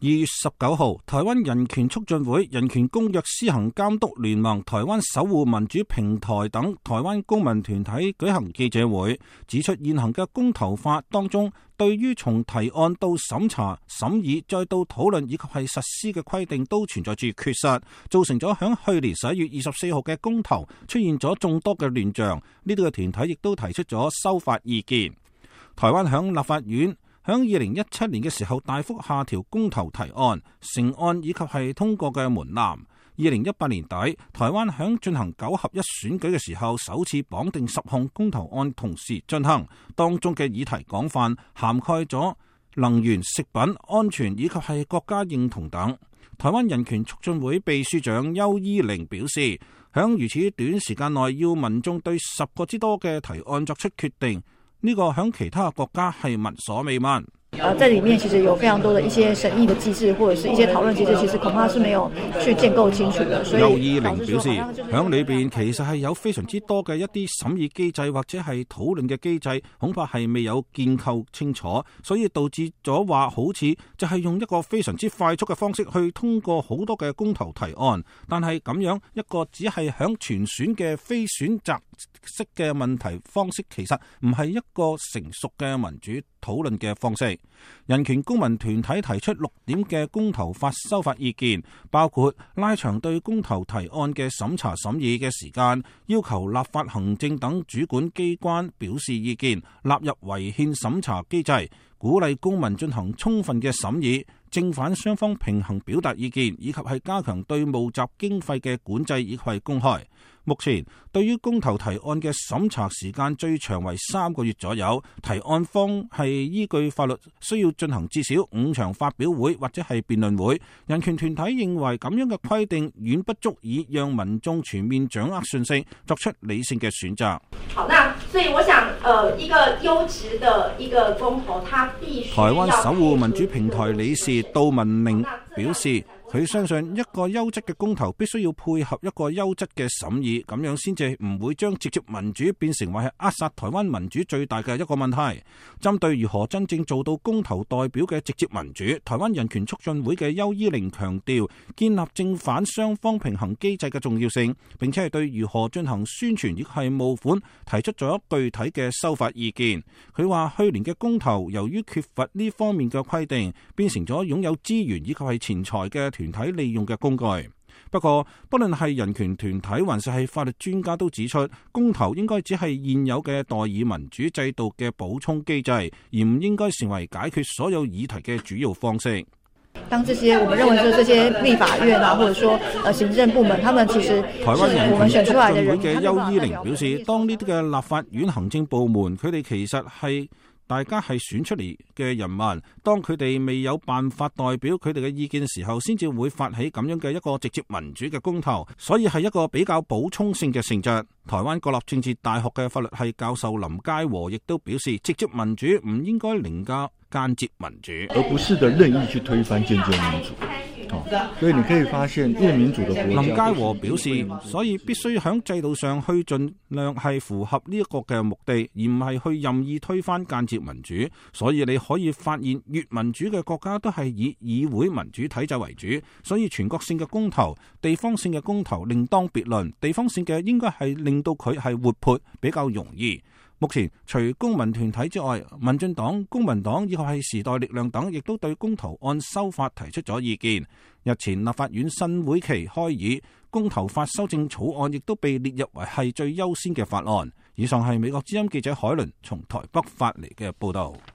2月19號，台灣人權促進會、人權公約施行監督聯盟、台灣守護民主平台等台灣公民團體舉行記者會，指出現行嘅公投法當中，對於從提案到審查、審議再到討論以及係實施嘅規定都存在住缺失，造成咗響去年11月24號嘅公投出現咗眾多嘅亂象。呢啲嘅團體亦都提出咗修法意見。台灣響立法院響2017年嘅時候大幅下調公投提案、成案以及係通過嘅門檻。2018年底，台灣響進行9合1選舉嘅時候，首次綁定10項公投案同時進行，當中嘅議題廣泛，涵蓋咗能源、食品安全以及係國家認同等。台灣人權促進會秘書長邱依玲表示，響如此短時間內要民眾對10個之多嘅提案作出決定，呢個響其他國家係聞所未聞。在裡面其實有非常多的一些審議的機制，或者是一些討論機制，其實恐怕是沒有去建構清楚的。所以邱依玲表示，響裏邊其實係有非常之多嘅一啲審議機制或者係討論嘅機制，恐怕係未有建構清楚，所以導致咗話好似就係用一個非常之快速嘅方式去通過好多嘅公投提案，但係咁樣一個只係響全選嘅非選擇式嘅問題方式，其實唔係一個成熟嘅民主討論嘅方式。人權公民團體提出6點嘅公投法修法意見，包括拉長對公投提案嘅審查審議嘅時間，要求立法行政等主管機關表示意見，納入違憲審查機制，鼓勵公民進行充分嘅審議，正反雙方平衡表達意見，以及係加強對募集經費嘅管制以及係公開。目前對於公投提案嘅審查時間最長為3個月左右，提案方係依據法律需要進行至少5場發表會或者係辯論會。人權團體認為咁樣嘅規定遠不足以讓民眾全面掌握信息，作出理性嘅選擇。好，那所以我想，一個優質的一個公投，它必須。台灣守護民主平台理事杜文寧表示，佢相信一個優質嘅公投必須要配合一個優質嘅審議，咁樣先至唔會將直接民主變成為係扼殺台灣民主最大嘅一個問題。針對如何真正做到公投代表嘅直接民主，台灣人權促進會嘅邱依玲強調建立正反雙方平衡機制嘅重要性，並且係對如何進行宣傳亦係募款提出咗具體嘅修法意見。佢話去年嘅公投由於缺乏呢方面嘅規定，變成咗擁有資源以及係錢財嘅團體利用嘅工具。不過，不論係人權團體還是係法律專家都指出，公投應該只係現有嘅代議民主制度嘅補充機制，而唔應該成為解決所有議題嘅主要方式。當這些我們認為說這些立法院啊，或者說行政部門，他們其實台灣人權促進會嘅邱依玲表示，當呢啲嘅立法院行政部門，佢哋其實係大家係選出嚟嘅人民，當佢哋未有辦法代表佢哋嘅意見嘅時候，先至會發起咁樣嘅一個直接民主嘅公投，所以係一個比較補充性嘅性質。台灣國立政治大學嘅法律系教授林佳和亦都表示，直接民主唔應該凌駕間接民主，而不是的任意去推翻間接民主。所以你可以發現，越民主的國家，林佳和表示，所以必須喺制度上去盡量係符合呢一個嘅目的，而唔係去任意推翻間接民主。所以你可以發現，越民主嘅國家都係以議會民主體制為主，所以全國性嘅公投、地方性嘅公投另當別論。地方性嘅應該係令到佢係活潑，比較容易。目前除公民團體之外，民進黨、公民黨以及係時代力量等，亦都對公投案修法提出咗意見。日前立法院新會期開議，公投法修正草案亦都被列入為係最優先嘅法案。以上係美國之音記者海倫從台北發嚟嘅報道。